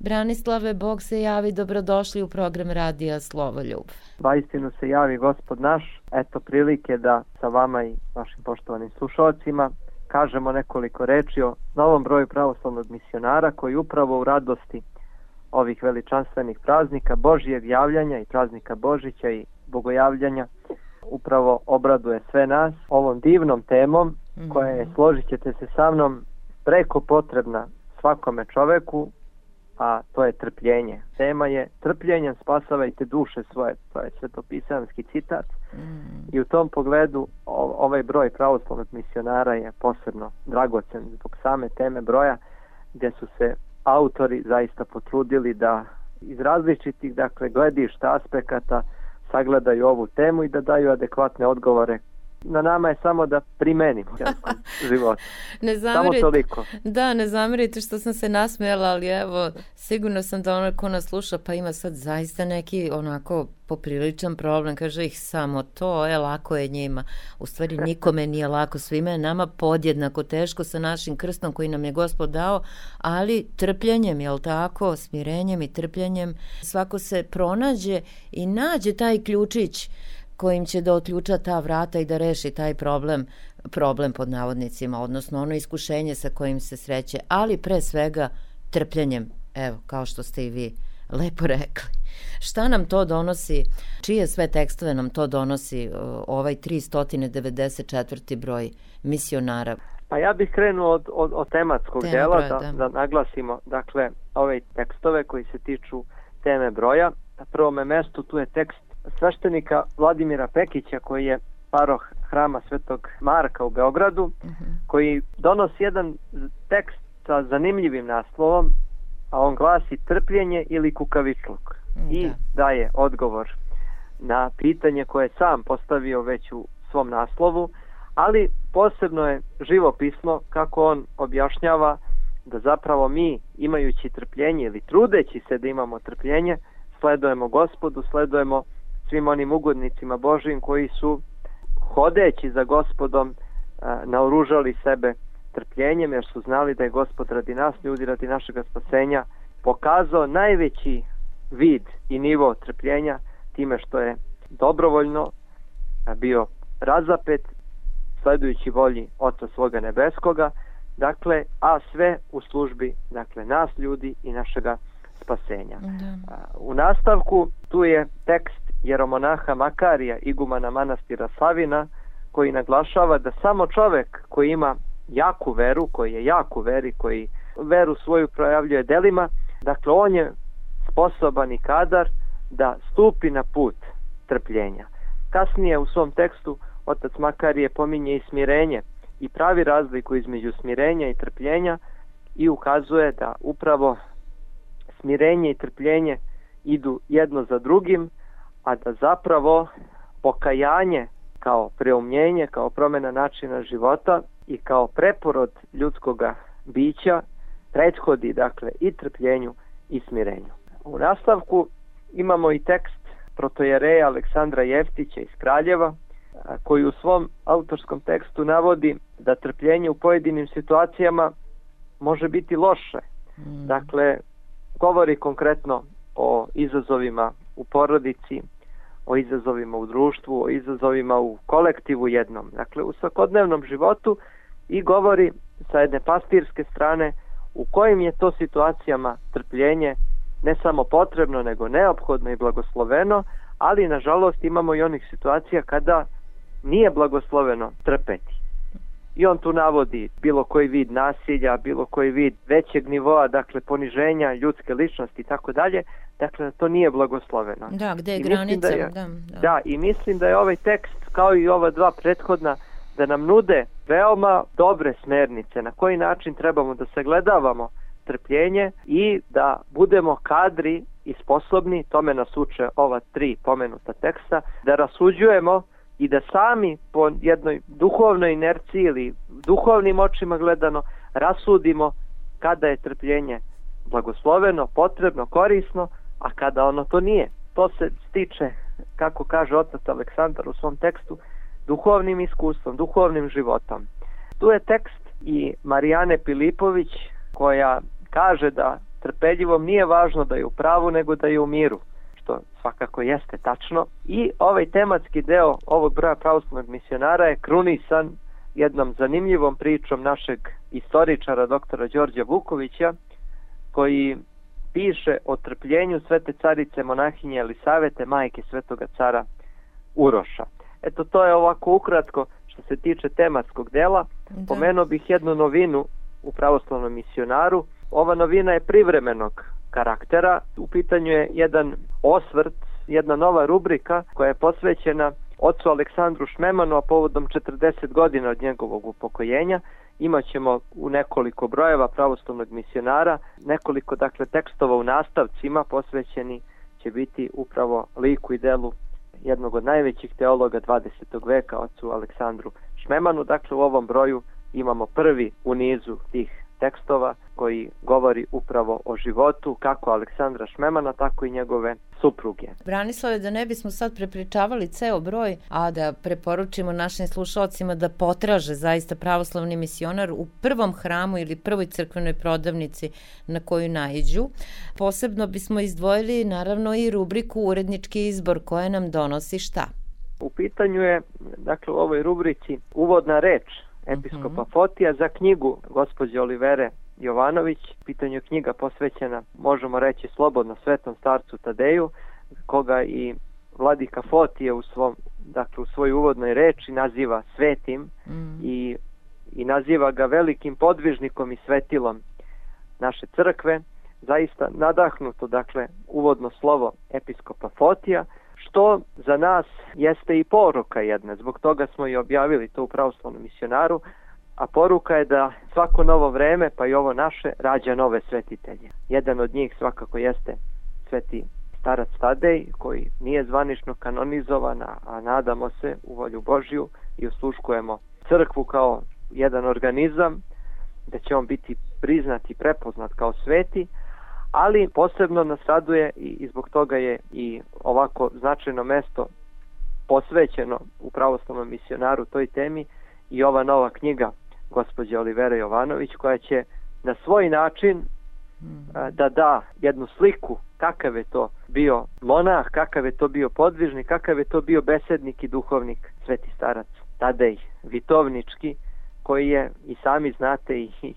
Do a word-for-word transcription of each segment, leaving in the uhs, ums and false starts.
Branislave, Bog se javi, dobrodošli u program Radija Slovoljub. Vaistinu se javi Gospod naš, eto prilike da sa vama i vašim poštovanim slušalcima kažemo nekoliko reči o novom broju pravoslavnog misionara koji upravo u radosti ovih veličanstvenih praznika Božijeg javljanja i praznika Božića i bogojavljanja upravo obraduje sve nas ovom divnom temom mm-hmm. koja je, složit ćete se sa mnom, preko potrebna svakome čoveku, a to je trpljenje. Tema je trpljenjem spasavajte duše svoje, to je svetopisanski citat mm. i u tom pogledu ovaj broj pravoslavnog misionara je posebno dragocen zbog same teme broja, gdje su se autori zaista potrudili da iz različitih, dakle, gledišta, aspekata sagledaju ovu temu i da daju adekvatne odgovore. Na nama je samo da primenimo život. Ne zamerite, samo toliko. Da, ne zamerite što sam se nasmijala, ali evo, sigurno sam da ono ko nas sluša pa ima sad zaista neki onako popriličan problem, kaže ih samo to, je lako je njima. U stvari nikome nije lako, svima je nama podjednako teško sa našim krstom koji nam je Gospod dao, ali trpljenjem, jel tako, smirenjem i trpljenjem, svako se pronađe i nađe taj ključić kojim će da otključa ta vrata i da reši taj problem, problem pod navodnicima, odnosno ono iskušenje sa kojim se sreće, ali pre svega trpljenjem, evo, kao što ste i vi lepo rekli. Šta nam to donosi, čije sve tekstove nam to donosi ovaj tristo devedeset četvrti broj misionara? Pa ja bih krenuo od, od, od tematskog Tema dela, broja, da, da. da naglasimo, dakle, ove tekstove koji se tiču teme broja. Na prvome mestu tu je tekst sveštenika Vladimira Pekića, koji je paroh hrama Svetog Marka u Beogradu, uh-huh. koji donosi jedan tekst sa zanimljivim naslovom, a on glasi trpljenje ili kukavičluk. Uh-huh. I daje odgovor na pitanje koje je sam postavio već u svom naslovu, ali posebno je živopisno kako on objašnjava da zapravo mi, imajući trpljenje ili trudeći se da imamo trpljenje, sledujemo Gospodu, sledujemo svim onim ugodnicima Božijim koji su, hodeći za Gospodom, naoružali sebe trpljenjem, jer su znali da je Gospod radi nas, ljudi, radi našega spasenja, pokazao najveći vid i nivo trpljenja time što je dobrovoljno bio razapet, sledujući volji Oca svoga nebeskoga, dakle, a sve u službi, dakle, nas ljudi i našega spasenja. Da. U nastavku tu je tekst jeromonaha Makarija, igumana manastira Savina, koji naglašava da samo čovek koji ima jaku veru, koji je jak u veri, koji veru svoju projavljuje delima, dakle on je sposoban i kadar da stupi na put trpljenja. Kasnije u svom tekstu otac Makarije pominje i smirenje i pravi razliku između smirenja i trpljenja i ukazuje da upravo smirenje i trpljenje idu jedno za drugim, a da zapravo pokajanje kao preumljenje, kao promjena načina života i kao preporod ljudskoga bića prethodi, dakle, i trpljenju i smirenju. U nastavku imamo i tekst protojereja Aleksandra Jeftića iz Kraljeva, koji u svom autorskom tekstu navodi da trpljenje u pojedinim situacijama može biti loše. Mm. Dakle, govori konkretno o izazovima u porodici, o izazovima u društvu, o izazovima u kolektivu jednom, dakle u svakodnevnom životu, i govori sa jedne pastirske strane u kojim je to situacijama trpljenje ne samo potrebno, nego neophodno i blagosloveno, ali nažalost imamo i onih situacija kada nije blagosloveno trpeti. I on tu navodi bilo koji vid nasilja, bilo koji vid većeg nivoa, dakle poniženja ljudske ličnosti i tako dalje, dakle to nije blagosloveno. Da, gde je granica? Da, da, da. da, i mislim da je ovaj tekst, kao i ova dva prethodna, da nam nude veoma dobre smernice na koji način trebamo da sagledavamo trpljenje i da budemo kadri i sposobni, tome nas uče ova tri pomenuta teksta, da rasuđujemo i da sami po jednoj duhovnoj inerciji ili duhovnim očima gledano rasudimo kada je trpljenje blagosloveno, potrebno, korisno, a kada ono to nije. To se stiče, kako kaže otac Aleksandar u svom tekstu, duhovnim iskustvom, duhovnim životom. Tu je tekst i Marijane Pilipović, koja kaže da trpeljivom nije važno da je u pravu, nego da je u miru, što svakako jeste tačno. I ovaj tematski deo ovog broja pravoslavnog misionara je krunisan jednom zanimljivom pričom našeg istoričara doktora Đorđa Vukovića, koji piše o trpljenju svete carice monahinje Elisavete, majke svetoga cara Uroša. Eto, to je ovako ukratko što se tiče tematskog dela. Da. Pomenuo bih jednu novinu u pravoslavnom misionaru. Ova novina je privremenog karaktera. U pitanju je jedan osvrt, jedna nova rubrika koja je posvećena ocu Aleksandru Šmemanu, a povodom četrdeset godina od njegovog upokojenja. Imaćemo u nekoliko brojeva pravoslavnog misionara, nekoliko dakle tekstova u nastavcima posvećeni će biti upravo liku i delu jednog od najvećih teologa dvadesetog veka, ocu Aleksandru Šmemanu. Dakle, u ovom broju imamo prvi u nizu tih tekstova koji govori upravo o životu kako Aleksandra Šmemana, tako i njegove supruge. Branislave, da ne bismo sad prepričavali ceo broj, a da preporučimo našim slušalcima da potraže zaista pravoslavni misionar u prvom hramu ili prvoj crkvenoj prodavnici na koju naiđu. Posebno bismo izdvojili naravno i rubriku Urednički izbor koja nam donosi šta? U pitanju je, dakle, u ovoj rubrici uvodna reč episkopa Fotija za knjigu gospođe Olivere Jovanović. Pitanju je knjiga posvećena, možemo reći slobodno, svetom starcu Tadeju, koga i vladika Fotije u svom, dakle u svojoj uvodnoj reči naziva svetim mm. i, i naziva ga velikim podvižnikom i svetilom naše crkve. Zaista nadahnuto, dakle, uvodno slovo episkopa Fotija, što za nas jeste i poruka jedna, zbog toga smo i objavili to u pravoslavnom misionaru, a poruka je da svako novo vreme, pa i ovo naše, rađa nove svetitelje. Jedan od njih svakako jeste sveti starac Tadej, koji nije zvanično kanonizovan, a nadamo se u volju Božju i osluškujemo crkvu kao jedan organizam, da će on biti priznat i prepoznat kao sveti, ali posebno nas raduje i zbog toga je i ovako značajno mesto posvećeno u pravoslavnom misionaru toj temi i ova nova knjiga gospođe Olivere Jovanović, koja će na svoj način da da jednu sliku kakav je to bio monah, kakav je to bio podvižnik, kakav je to bio besednik i duhovnik sveti starac Tadej Vitovnički, koji je, i sami znate, i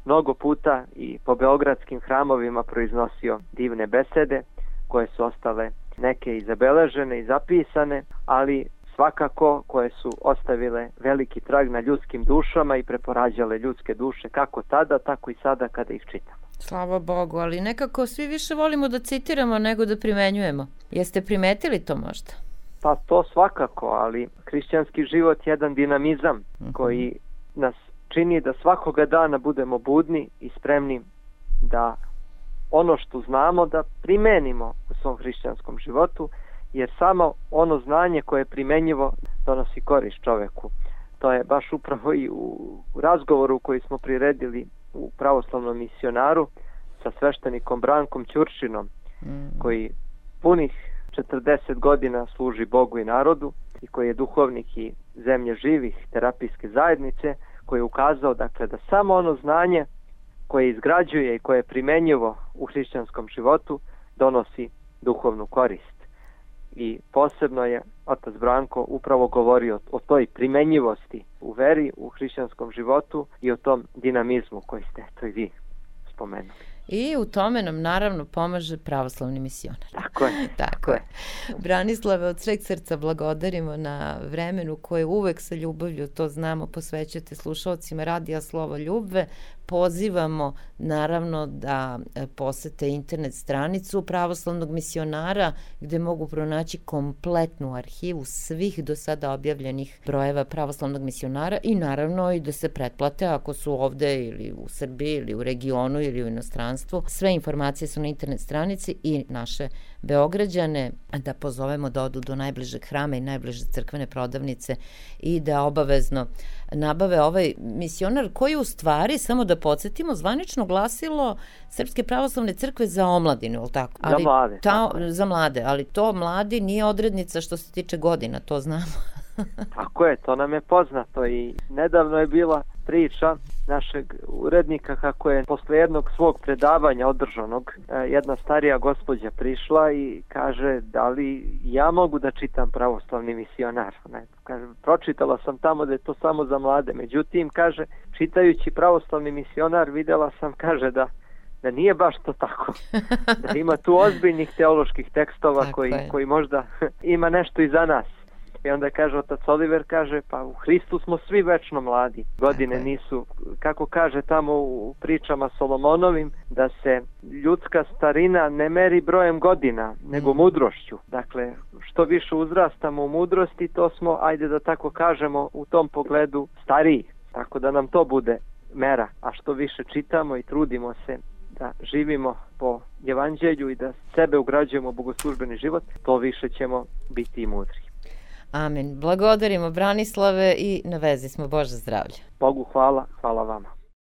mnogo puta i po beogradskim hramovima proiznosio divne besede koje su ostale neke i zabeležene i zapisane, ali svakako koje su ostavile veliki trag na ljudskim dušama i preporađale ljudske duše kako tada, tako i sada kada ih čitamo. Slava Bogu, ali nekako svi više volimo da citiramo nego da primenjujemo. Jeste primetili to možda? Pa to svakako, ali hrišćanski život je jedan dinamizam uh-huh. koji nas čini da svakoga dana budemo budni i spremni da ono što znamo da primenimo u svom hrišćanskom životu, jer samo ono znanje koje je primenjivo donosi korist čoveku. To je baš upravo i u razgovoru koji smo priredili u pravoslavnom misionaru sa sveštenikom Brankom Ćuršinom, mm. koji punih četrdeset godina služi Bogu i narodu i koji je duhovnik i zemlje živih terapijske zajednice, koji je ukazao, dakle, da samo ono znanje koje izgrađuje i koje je primenjivo u hrišćanskom životu donosi duhovnu korist. I posebno je otac Branko upravo govorio o toj primenjivosti u veri, u hrišćanskom životu i o tom dinamizmu koji ste to i vi spomenuli. I u tome nam naravno pomaže pravoslavni misionar. Tako je. Tako je. Branislave, od sveg srca blagodarimo na vremenu koje uvek sa ljubavlju, to znamo, posvećujete slušalcima Radija Slovo Ljubve. Pozivamo naravno da posete internet stranicu pravoslavnog misionara gde mogu pronaći kompletnu arhivu svih do sada objavljenih brojeva pravoslavnog misionara i naravno i da se pretplate ako su ovde ili u Srbiji ili u regionu ili u inostranstvu. Sve informacije su na internet stranici i naše Beograđane da pozovemo da odu do najbližeg hrama i najbliže crkvene prodavnice i da obavezno nabave ovaj misionar koji u stvari, samo da podsjetimo, zvanično glasilo Srpske pravoslavne crkve za omladinu, ili tako? Ali za mlade. Ta, za mlade, ali to mladi nije odrednica što se tiče godina, to znamo. Tako je, to nam je poznato i nedavno je bila priča našeg urednika kako je posle jednog svog predavanja održanog jedna starija gospođa prišla i kaže da li ja mogu da čitam Pravoslavni misionar. Ne, kaže, pročitala sam tamo da je to samo za mlade, međutim kaže čitajući Pravoslavni misionar vidjela sam, kaže da da nije baš to tako, da ima tu ozbiljnih teoloških tekstova koji, koji možda ima nešto i za nas. I onda kaže otac Oliver, kaže, pa u Hristu smo svi večno mladi. Godine nisu, kako kaže tamo u pričama Solomonovim, da se ljudska starina ne meri brojem godina, nego mudrošću. Dakle, što više uzrastamo u mudrosti, to smo, ajde da tako kažemo, u tom pogledu stariji. Tako da nam to bude mera. A što više čitamo i trudimo se da živimo po evanđelju i da sebe ugrađujemo u bogoslužbeni život, to više ćemo biti i mudri. Amen. Blagodarimo Branislave i na vezi smo. Bože zdravlje. Bogu hvala, hvala vama.